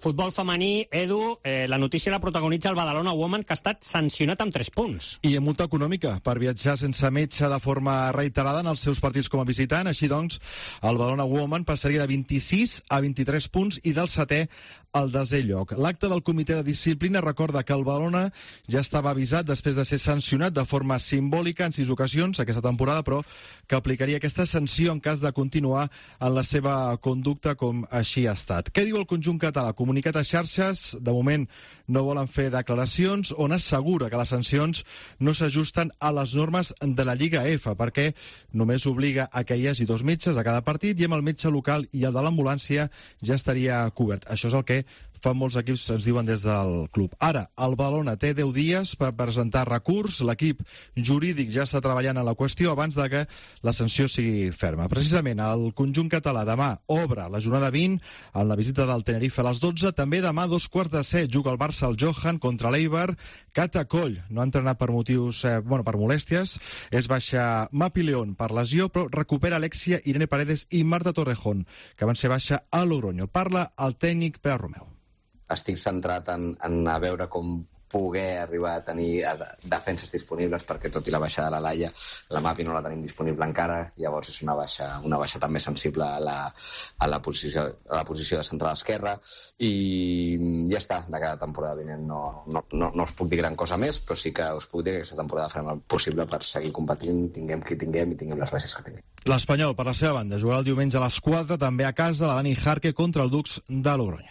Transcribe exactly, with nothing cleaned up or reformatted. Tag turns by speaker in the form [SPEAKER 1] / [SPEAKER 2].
[SPEAKER 1] Futbol femení, Edu, eh, la notícia la protagonitza el Badalona Women, que ha estat sancionat amb tres punts.
[SPEAKER 2] I amb multa econòmica per viatjar sense metge de forma reiterada en els seus partits com a visitant. Així doncs, el Badalona Women passaria de vint-i-sis a vint-i-tres punts i del setè al desè lloc. L'acte del comitè de disciplina recorda que el Badalona ja estava avisat després de ser sancionat de forma simbòlica en sis ocasions aquesta temporada, però que aplicaria aquesta sanció en cas de continuar en la seva conducta com així ha estat. Què diu el conjunt català? Comunicat a xarxes, de moment no volen fer declaracions, on assegura que les sancions no s'ajusten a les normes de la Lliga F, perquè només obliga a que hi hagi dos metges a cada partit i amb el metge local i el de l'ambulància ja estaria cobert. Això és el que fan molts equips, ens diuen des del club. Ara, el Badalona té deu dies per presentar recurs. L'equip jurídic ja està treballant en la qüestió abans de que la sanció sigui ferma. Precisament, el conjunt català demà obre la jornada vint amb la visita del Tenerife a les dotze. També demà, dos quarts de set, juga el Barça al Johan contra l'Eibar. Cata Coll no ha entrenat per motius, eh, bueno, per molèsties. És baixa Mapi León per lesió, però recupera Alexia, Irene Paredes i Marta Torrejón, que van ser baixa a Logroño. Parla el tècnic Pere Romeu.
[SPEAKER 3] Estic centrat en, en a veure com poder arribar a tenir defenses disponibles, perquè tot i la baixa de la Laia, la Mapi no la tenim disponible encara, llavors és una baixa, una baixa també sensible a la, a la, posició, a la posició de central esquerra, i ja està, de cada temporada vinent no, no, no, no us puc dir gran cosa més, però sí que us puc dir que aquesta temporada farem el possible per seguir competint, tinguem qui tinguem i tinguem les baixes que tinguem.
[SPEAKER 2] L'Espanyol, per la seva banda, jugarà el diumenge a les quatre, també a casa, la Dani Jarque contra el Dux de Logroño.